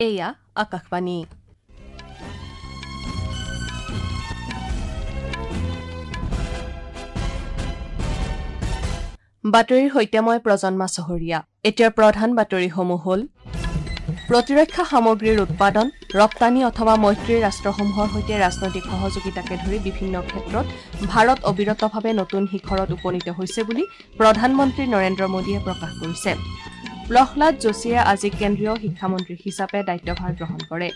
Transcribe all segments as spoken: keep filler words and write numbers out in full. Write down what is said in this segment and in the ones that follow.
এয়া আকাশবাণী। বাতৰিৰ সৈতে মই প্ৰজন্মা চহৰীয়া। এতিয়াৰ প্ৰধান বাতৰিসমূহ হ'ল প্ৰতিৰক্ষা সামগ্ৰীৰ উৎপাদন, ৰপ্তানি অথবা মৈত্ৰী ৰাষ্ট্ৰসমূহৰ সৈতে ৰাজনৈতিক সহযোগিতাকে ধৰি বিভিন্ন ক্ষেত্ৰত ভাৰত অবিৰতভাৱে নতুন শিখৰত উপনীত হৈছে বুলি প্ৰধানমন্ত্ৰী নৰেন্দ্ৰ মোদীয়ে প্ৰকাশ কৰিছে। প্ৰহ্লাদ যোশীয়ে আজি কেন্দ্ৰীয় শিক্ষামন্ত্ৰী হিচাপে দায়িত্বভাৰ গ্ৰহণ কৰে।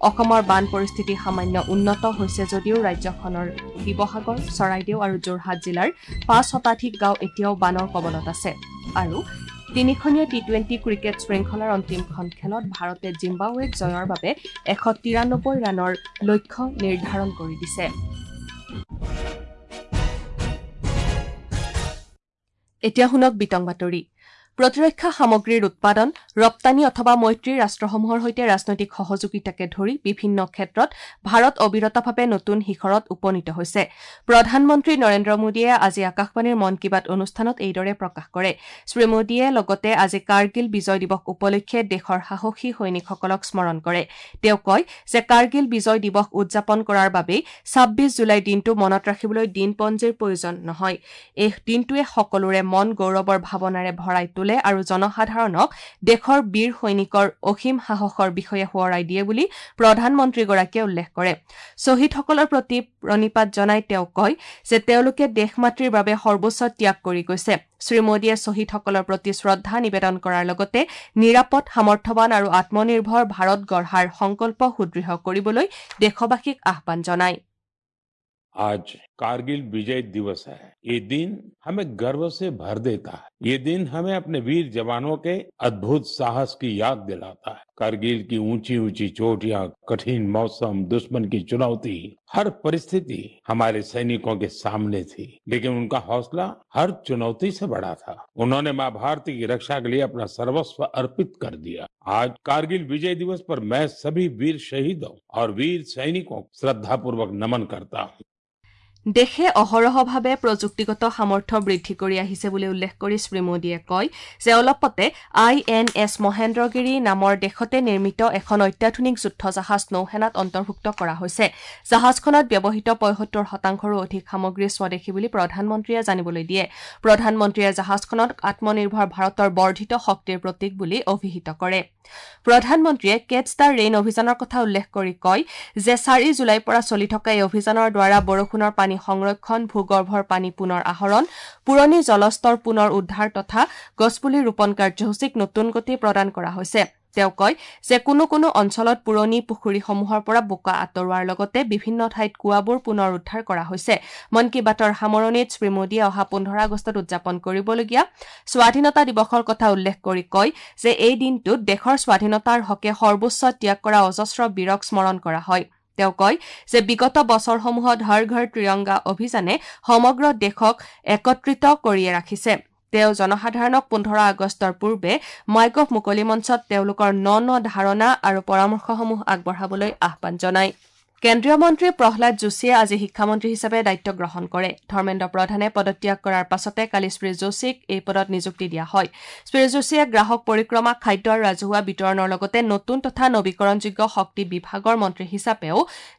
অসমৰ বান পৰিস্থিতি সামান্য উন্নত হৈছে যদিও ৰাজ্যখনৰ শিৱসাগৰ, চৰাইদেউ আৰু যোৰহাট জিলাৰ পাঁচ শতাধিক গাঁও এতিয়াও বানৰ কবলত আছে। আৰু তিনিখনীয়া টি টুৱেণ্টি ক্ৰিকেট শৃংখলাৰ অন্তিমখন খেলত ভাৰতে জিম্বাবৱেক জয়ৰ বাবে এশ তিৰানব্বৈ ৰানৰ লক্ষ্য নিৰ্ধাৰণ কৰি দিছে। এতিয়া শুনক বিতং বাতৰি। প্ৰতিৰক্ষা সামগ্ৰীৰ উৎপাদন, ৰপ্তানি অথবা মৈত্ৰী ৰাষ্ট্ৰসমূহৰ সৈতে ৰাজনৈতিক সহযোগিতাকে ধৰি বিভিন্ন ক্ষেত্ৰত ভাৰত অবিৰতভাৱে নতুন শিখৰত উপনীত হৈছে। প্ৰধানমন্ত্ৰী নৰেন্দ্ৰ মোদীয়ে আজি আকাশবাণীৰ মন কী বাত অনুষ্ঠানত এইদৰে প্ৰকাশ কৰে। শ্ৰী মোদীয়ে লগতে আজি কাৰ্গিল বিজয় দিৱস উপলক্ষে দেশৰ সাহসী সৈনিকসকলক স্মৰণ কৰে। তেওঁ কয় যে কাৰ্গিল বিজয় দিৱস উদযাপন কৰাৰ বাবেই ছাব্বিছ জুলাই দিনটো মনত ৰাখিবলৈ দিনপঞ্জীৰ প্ৰয়োজন নহয়। এই দিনটোৱে সকলোৰে মন গৌৰৱৰ ভাৱনাৰে ভৰাই তোলে আৰু জনসাধাৰণক দেশৰ বীৰ সৈনিকৰ অসীম সাহসৰ বিষয়ে সোঁৱৰাই দিয়ে বুলি প্ৰধানমন্ত্ৰীগৰাকীয়ে উল্লেখ কৰে। শ্বহীদসকলৰ প্ৰতি প্ৰণিপাত জনাই তেওঁ কয় যে তেওঁলোকে দেশ মাতৃৰ বাবে সৰ্বোচ্চ ত্যাগ কৰি গৈছে। শ্ৰী মোদীয়ে শ্বহীদসকলৰ প্ৰতি শ্ৰদ্ধা নিবেদন কৰাৰ লগতে নিৰাপদ, সামৰ্থ্যৱান আৰু আত্মনিৰ্ভৰ ভাৰত গঢ়াৰ সংকল্প সুদৃঢ় কৰিবলৈ দেশবাসীক আহ্বান জনায়। आज कारगिल विजय दिवस है। ये दिन हमें गर्व से भर देता है। ये दिन हमें अपने वीर जवानों के अद्भुत साहस की याद दिलाता है। कारगिल की ऊंची ऊंची चोटियां, कठिन मौसम, दुश्मन की चुनौती, हर परिस्थिति हमारे सैनिकों के सामने थी, लेकिन उनका हौसला हर चुनौती से बड़ा था। उन्होंने मां भारती की रक्षा के लिए अपना सर्वस्व अर्पित कर दिया। आज कारगिल विजय दिवस पर मैं सभी वीर शहीदों और वीर सैनिकों को श्रद्धापूर्वक नमन करता हूँ। দেশে অহৰহভাৱে প্ৰযুক্তিগত সামৰ্থ্য বৃদ্ধি কৰি আহিছে বুলি উল্লেখ কৰি শ্ৰী মোদীয়ে কয় যে অলপতে আই এন এছ মহেন্দ্ৰগিৰি নামৰ দেশতে নিৰ্মিত এখন অত্যাধুনিক যুদ্ধজাহাজ নৌসেনাত অন্তৰ্ভুক্ত কৰা হৈছে। জাহাজখনত ব্যৱহৃত পঁয়সত্তৰ শতাংশৰো অধিক সামগ্ৰী স্বদেশী বুলি প্ৰধানমন্ত্ৰীয়ে জানিবলৈ দিয়ে। প্ৰধানমন্ত্ৰীয়ে জাহাজখনক আত্মনিৰ্ভৰ ভাৰতৰ বৰ্ধিত শক্তিৰ প্ৰতীক বুলি অভিহিত কৰে। প্ৰধানমন্ত্ৰীয়ে কেটছ the rain অভিযানৰ কথা উল্লেখ কৰি কয় যে চাৰি জুলাইৰ পৰা চলি থকা এই অভিযানৰ দ্বাৰা বৰষুণৰ পানী সংৰক্ষণ, ভূগৰ্ভৰ পানী পুনৰ আহৰণ, পুৰণি জলস্তৰ পুনৰ উদ্ধাৰ তথা গছপুলি ৰোপণ কাৰ্যসূচীক নতুন গতি প্ৰদান কৰা হৈছে। তেওঁ কয় যে কোনো কোনো অঞ্চলত পুৰণি পুখুৰীসমূহৰ পৰা বোকা আঁতৰোৱাৰ লগতে বিভিন্ন ঠাইত কুঁৱাবোৰ পুনৰ উদ্ধাৰ কৰা হৈছে। মন কী বাতৰ সামৰণিত শ্ৰী মোদীয়ে অহা পোন্ধৰ আগষ্টত উদযাপন কৰিবলগীয়া স্বাধীনতা দিৱসৰ কথা উল্লেখ কৰি কয় যে এই দিনটোত দেশৰ স্বাধীনতাৰ হকে সৰ্বোচ্চ ত্যাগ কৰা অজস্ৰ বীৰক স্মৰণ কৰা হয়। তেওঁ কয় যে বিগত বছৰসমূহত হৰ ঘৰ ত্ৰিৰংগা অভিযানে সমগ্ৰ দেশক একত্ৰিত কৰিয়ে ৰাখিছে। তেওঁ জনসাধাৰণক পোন্ধৰ আগষ্টৰ পূৰ্বে মাইগভ মুকলি মঞ্চত তেওঁলোকৰ ন ন ধাৰণা আৰু পৰামৰ্শসমূহ আগবঢ়াবলৈ আহ্বান জনায়। কেন্দ্ৰীয় মন্ত্ৰী প্ৰহ্লাদ যোশীয়ে আজি শিক্ষামন্ত্ৰী হিচাপে দায়িত্ব গ্ৰহণ কৰে। ধৰ্মেন্দ্ৰ প্ৰধানে পদত্যাগ কৰাৰ পাছতে কালি শ্ৰী যোশীক এই পদত নিযুক্তি দিয়া হয়। শ্ৰী যোশীয়ে গ্ৰাহক পৰিক্ৰমা, খাদ্য আৰু ৰাজহুৱা বিতৰণৰ লগতে নতুন তথা নবীকৰণযোগ্য শক্তি বিভাগৰ মন্ত্ৰী হিচাপেও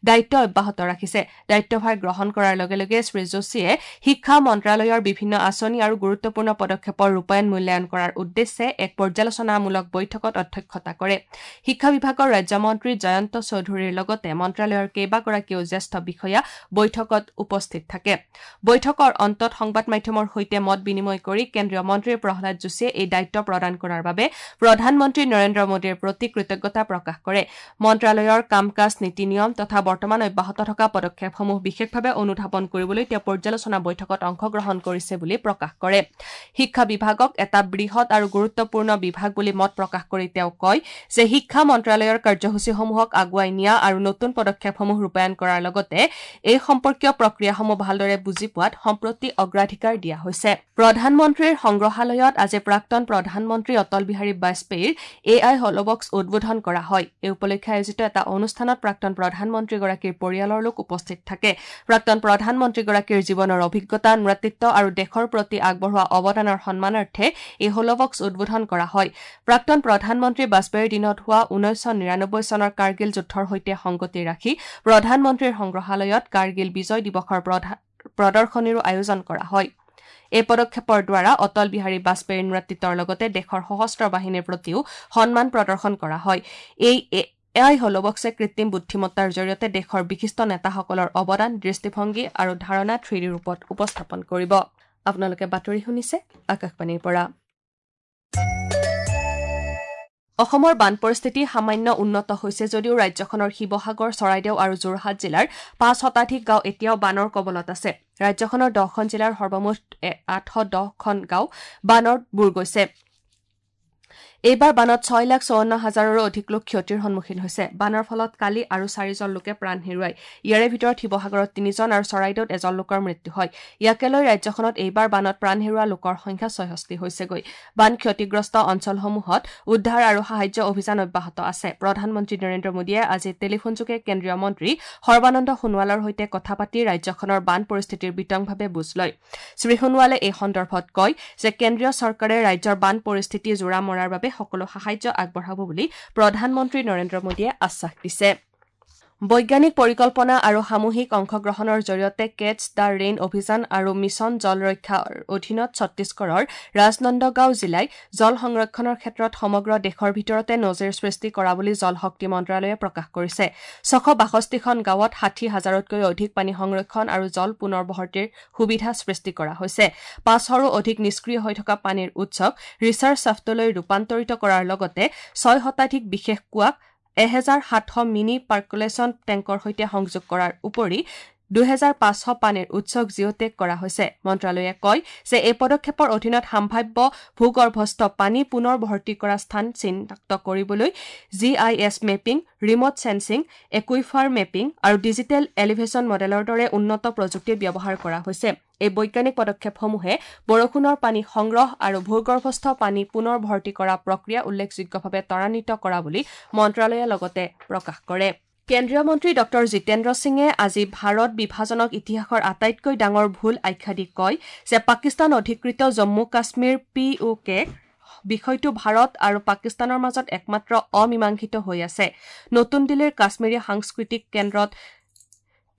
দায়িত্ব অব্যাহত ৰাখিছে। দায়িত্বভাৰ গ্ৰহণ কৰাৰ লগে লগে শ্ৰী যোশীয়ে শিক্ষা মন্ত্ৰালয়ৰ বিভিন্ন আঁচনি আৰু গুৰুত্বপূৰ্ণ পদক্ষেপৰ ৰূপায়ণ মূল্যায়ন কৰাৰ উদ্দেশ্যে এক পৰ্যালোচনামূলক বৈঠকত অধ্যক্ষতা কৰে। শিক্ষা বিভাগৰ ৰাজ্যমন্ত্ৰী জয়ন্ত চৌধুৰীৰ লগতে মন্ত্ৰালয়ৰ কেইবাগৰাকীও জ্যেষ্ঠ বিষয়া বৈঠকত উপস্থিত থাকে। বৈঠকৰ অন্তত সংবাদ মাধ্যমৰ সৈতে মত বিনিময় কৰি কেন্দ্ৰীয় মন্ত্ৰী প্ৰহ্লাদ যোশীয়ে এই দায়িত্ব প্ৰদান কৰাৰ বাবে প্ৰধানমন্ত্ৰী নৰেন্দ্ৰ মোদীৰ প্ৰতি কৃতজ্ঞতা প্ৰকাশ কৰে। মন্ত্ৰালয়ৰ কাম কাজ, নীতি নিয়ম তথা বৰ্তমান অব্যাহত থকা পদক্ষেপসমূহ বিশেষভাৱে অনুধাৱন কৰিবলৈ তেওঁ পৰ্যালোচনা বৈঠকত অংশগ্ৰহণ কৰিছে বুলি প্ৰকাশ কৰে। শিক্ষা বিভাগক এটা বৃহৎ আৰু গুৰুত্বপূৰ্ণ বিভাগ বুলি মত প্ৰকাশ কৰি তেওঁ কয় যে শিক্ষা মন্ত্ৰালয়ৰ কাৰ্যসূচীসমূহক আগুৱাই নিয়া আৰু নতুন পদক্ষেপসমূহ পদক্ষেপসমূহ ৰূপায়ণ কৰাৰ লগতে এই সম্পৰ্কীয় প্ৰক্ৰিয়াসমূহ ভালদৰে বুজি পোৱাত সম্প্ৰতি অগ্ৰাধিকাৰ দিয়া হৈছে। প্ৰধানমন্ত্ৰীৰ সংগ্ৰহালয়ত আজি প্ৰাক্তন প্ৰধানমন্ত্ৰী অটল বিহাৰী বাজপেয়ীৰ এ I হলবক্স উদ্বোধন কৰা হয়। এই উপলক্ষে আয়োজিত এটা অনুষ্ঠানত প্ৰাক্তন প্ৰধানমন্ত্ৰীগৰাকীৰ পৰিয়ালৰ লোক উপস্থিত থাকে। প্ৰাক্তন প্ৰধানমন্ত্ৰীগৰাকীৰ জীৱনৰ অভিজ্ঞতা, নেতৃত্ব আৰু দেশৰ প্ৰতি আগবঢ়োৱা অৱদানৰ সন্মানাৰ্থে এই হলবক্স উদ্বোধন কৰা হয়। প্ৰাক্তন প্ৰধানমন্ত্ৰী বাজপেয়ীৰ দিনত হোৱা ঊনৈছশ নিৰানব্বৈ চনৰ কাৰ্গিল যুদ্ধৰ সৈতে সংগতি ৰাখি প্ৰধানমন্ত্ৰীৰ সংগ্ৰহালয়ত কাৰ্গিল বিজয় দিৱসৰ প্ৰদৰ্শনীৰো আয়োজন কৰা হয়। এই পদক্ষেপৰ দ্বাৰা অটল বিহাৰী বাজপেয়ীৰ নেতৃত্বৰ লগতে দেশৰ সশস্ত্ৰ বাহিনীৰ প্ৰতিও সন্মান প্ৰদৰ্শন কৰা হয়। এই এ I হলবক্সে কৃত্ৰিম বুদ্ধিমত্তাৰ জৰিয়তে দেশৰ বিশিষ্ট নেতাসকলৰ অৱদান, দৃষ্টিভংগী আৰু ধাৰণা থ্ৰী ডি ৰূপত উপস্থাপন কৰিব। আপোনালোকে বাতৰি শুনিছে আকাশবাণীৰ পৰা। অসমৰ বান পৰিস্থিতি সামান্য উন্নত হৈছে যদিও ৰাজ্যখনৰ শিৱসাগৰ, চৰাইদেউ আৰু যোৰহাট জিলাৰ পাঁচ শতাধিক গাঁও এতিয়াও বানৰ কবলত আছে। ৰাজ্যখনৰ দহখন জিলাৰ সৰ্বমুঠ আঠশ দহখন গাঁও বানত বুৰ গৈছে। এইবাৰ বানত ছয় লাখ চৌৱন্ন হাজাৰৰো অধিক লোক ক্ষতিৰ সন্মুখীন হৈছে। বানৰ ফলত কালি আৰু চাৰিজন লোকে প্ৰাণ হেৰুৱায়। ইয়াৰে ভিতৰত শিৱসাগৰত তিনিজন আৰু চৰাইদেউত এজন লোকৰ মৃত্যু হয়। ইয়াকে লৈ ৰাজ্যখনত এইবাৰ বানত প্ৰাণ হেৰুওৱা লোকৰ সংখ্যা ছয়ষষ্ঠি হৈছেগৈ। বান ক্ষতিগ্ৰস্ত অঞ্চলসমূহত উদ্ধাৰ আৰু সাহায্য অভিযান অব্যাহত আছে। প্ৰধানমন্ত্ৰী নৰেন্দ্ৰ মোদীয়ে আজি টেলিফোনযোগে কেন্দ্ৰীয় মন্ত্ৰী সৰ্বানন্দ সোণোৱালৰ সৈতে কথা পাতি ৰাজ্যখনৰ বান পৰিস্থিতিৰ বিতংভাৱে বুজ লয়। শ্ৰীসোণোৱালে এই সন্দৰ্ভত কয় যে কেন্দ্ৰীয় চৰকাৰে ৰাজ্যৰ বান পৰিস্থিতি জোৰা মৰাৰ বাবে সকলো সাহায্য আগবঢ়াব বুলি প্ৰধানমন্ত্ৰী নৰেন্দ্ৰ মোদীয়ে আশ্বাস দিছে। বৈজ্ঞানিক পৰিকল্পনা আৰু সামূহিক অংশগ্ৰহণৰ জৰিয়তে কেটছ the rain অভিযান আৰু মিছন জল ৰক্ষাৰ অধীনত ছত্তীশগড়ৰ ৰাজনন্দগাঁও জিলাই জল সংৰক্ষণৰ ক্ষেত্ৰত সমগ্ৰ দেশৰ ভিতৰতে নজিৰ সৃষ্টি কৰা বুলি জল শক্তি মন্ত্ৰালয়ে প্ৰকাশ কৰিছে। ছশ বাষষ্ঠিখন গাঁৱত ষাঠি হাজাৰতকৈ অধিক পানী সংৰক্ষণ আৰু জল পুনৰ্বহতিৰ সুবিধা সৃষ্টি কৰা হৈছে। পাঁচশৰো অধিক নিষ্ক্ৰিয় হৈ থকা পানীৰ উৎসক ৰিচাৰ্জ চাফ্টলৈ ৰূপান্তৰিত কৰাৰ লগতে ছয় শতাধিক বিশেষ কুঁৱাক এহেজাৰ সাতশ মিনি পাৰ্কুলেশ্যন টেংকৰ সৈতে সংযোগ কৰাৰ উপৰি দুহেজাৰ পাঁচশ পানীৰ উৎসক জিঅ'টেগ কৰা হৈছে। মন্ত্ৰালয়ে কয় যে এই পদক্ষেপৰ অধীনত সাম্ভাব্য ভূগৰ্ভস্থ পানী পুনৰ ভৰ্তি কৰা স্থান চিনাক্ত কৰিবলৈ G I S mapping, remote sensing, aquifer mapping আৰু ডিজিটেল এলিভেশ্যন মডেলৰ দৰে উন্নত প্ৰযুক্তি ব্যৱহাৰ কৰা হৈছে। এই বৈজ্ঞানিক পদক্ষেপসমূহে বৰষুণৰ পানী সংগ্ৰহ আৰু ভূগৰ্ভস্থ পানী পুনৰ ভৰ্তি কৰা প্ৰক্ৰিয়া উল্লেখযোগ্যভাৱে ত্বৰান্বিত কৰা বুলি মন্ত্ৰালয়ে লগতে প্ৰকাশ কৰে। কেন্দ্ৰীয় মন্ত্ৰী ডক্টৰ জিতেন্দ্ৰ সিঙে আজি ভাৰত বিভাজনক ইতিহাসৰ আটাইতকৈ ডাঙৰ ভুল আখ্যা দি কয় যে পাকিস্তান অধিকৃত জম্মু কাশ্মীৰ পি অ' কে বিষয়টো ভাৰত আৰু পাকিস্তানৰ মাজত একমাত্ৰ অমীমাংসিত হৈ আছে। নতুন দিল্লীৰ কাশ্মীৰী সাংস্কৃতিক কেন্দ্ৰত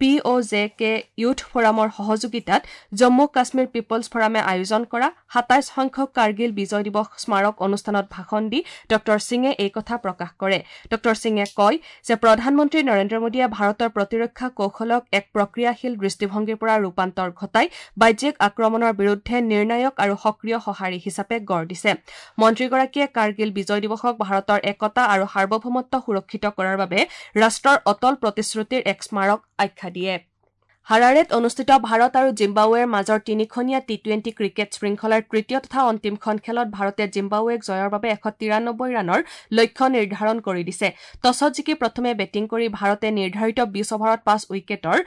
P O J K youth ফৰামৰ সহযোগিতাত জম্মু কাশ্মীৰ পিপলছ ফৰামে আয়োজন কৰা সাতাইছ সংখ্যক কাৰ্গিল বিজয় দিৱস স্মাৰক অনুষ্ঠানত ভাষণ দি ডক্টৰ সিঙে এই কথা প্ৰকাশ কৰে। ডক্টৰ সিঙে কয় যে প্ৰধানমন্ত্ৰী নৰেন্দ্ৰ মোদীয়ে ভাৰতৰ প্ৰতিৰক্ষা কৌশলক এক প্ৰক্ৰিয়াশীল দৃষ্টিভংগীৰ পৰা ৰূপান্তৰ ঘটাই বাহ্যিক আক্ৰমণৰ বিৰুদ্ধে নিৰ্ণায়ক আৰু সক্ৰিয় সঁহাৰি হিচাপে গঢ় দিছে। মন্ত্ৰীগৰাকীয়ে কাৰ্গিল বিজয় দিৱসক ভাৰতৰ একতা আৰু সাৰ্বভৌমত্ব সুৰক্ষিত কৰাৰ বাবে ৰাষ্ট্ৰৰ অটল প্ৰতিশ্ৰুতিৰ এক স্মাৰক আখ্যা দিয়ে। হাৰাৰেত অনুষ্ঠিত ভাৰত আৰু জিম্বাবুৱেৰ মাজৰ তিনিখনীয়া টি টুৱেণ্টি ক্ৰিকেট শৃংখলাৰ তৃতীয় তথা অন্তিমখন খেলত ভাৰতে জিম্বাবুৱেক জয়ৰ বাবে এশ তিৰানব্বৈ ৰানৰ লক্ষ্য নিৰ্ধাৰণ কৰি দিছে। টছত জিকি প্ৰথমে বেটিং কৰি ভাৰতে নিৰ্ধাৰিত বিশ অভাৰত পাঁচ উইকেটৰ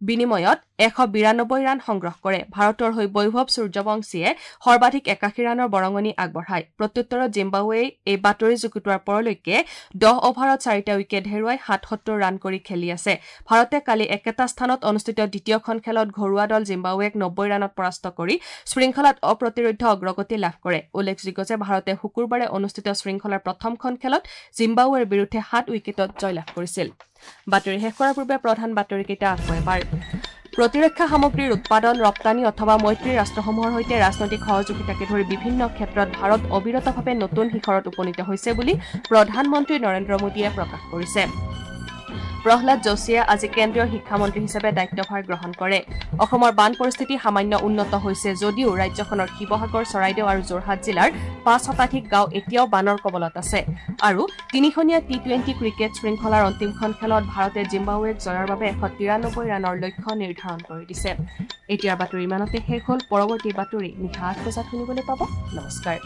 বিনিময়ত এশ বিৰানব্বৈ ৰান সংগ্ৰহ কৰে। ভাৰতৰ হৈ বৈভৱ সূৰ্যবংশীয়ে সৰ্বাধিক একাশী ৰানৰ বৰঙণি আগবঢ়ায়। প্ৰত্যুত্তৰত জিম্বাবুৱেই এই বাতৰি যুগুতোৱাৰ পৰলৈকে দহ অভাৰত চাৰিটা উইকেট হেৰুৱাই সাতসত্তৰ ৰান কৰি খেলি আছে। ভাৰতে কালি একেটা স্থানত অনুষ্ঠিত দ্বিতীয়খন খেলত ঘৰুৱা দল জিম্বাবুৱেক নব্বৈ ৰানত পৰাস্ত কৰি শৃংখলাত অপ্ৰতিৰোধ্য অগ্ৰগতি লাভ কৰে। উল্লেখযোগ্য যে ভাৰতে শুকুৰবাৰে অনুষ্ঠিত শৃংখলাৰ প্ৰথমখন খেলত জিম্বাবুৱেৰ বিৰুদ্ধে সাত উইকেটত জয়লাভ কৰিছিল। বাতৰি শেষ কৰাৰ পূৰ্বে প্ৰধান বাতৰিকেইটা আকৌ এবাৰ। প্ৰতিৰক্ষা সামগ্ৰীৰ উৎপাদন, ৰপ্তানি অথবা মৈত্ৰী ৰাষ্ট্ৰসমূহৰ সৈতে ৰাজনৈতিক সহযোগিতাকে ধৰি বিভিন্ন ক্ষেত্ৰত ভাৰত অবিৰতভাৱে নতুন শিখৰত উপনীত হৈছে বুলি প্ৰধানমন্ত্ৰী নৰেন্দ্ৰ মোদীয়ে প্ৰকাশ কৰিছে। প্ৰহ্লাদ যোশীয়ে আজি কেন্দ্ৰীয় শিক্ষামন্ত্ৰী হিচাপে দায়িত্বভাৰ গ্ৰহণ কৰে। অসমৰ বান পৰিস্থিতি সামান্য উন্নত হৈছে যদিও ৰাজ্যখনৰ শিৱসাগৰ, চৰাইদেউ আৰু যোৰহাট জিলাৰ পাঁচ শতাধিক গাঁও এতিয়াও বানৰ কবলত আছে। আৰু তিনিখনীয়া টি টুৱেণ্টি ক্ৰিকেট শৃংখলাৰ অন্তিমখন খেলত ভাৰতে জিম্বাবুৱেক জয়ৰ বাবে এশ তিৰানব্বৈ ৰানৰ লক্ষ্য নিৰ্ধাৰণ কৰি দিছে। এতিয়াৰ বাতৰি ইমানতে শেষ হ'ল। পৰৱৰ্তী বাতৰি নিশা আঠ বজাত শুনিবলৈ পাব। নমস্কাৰ।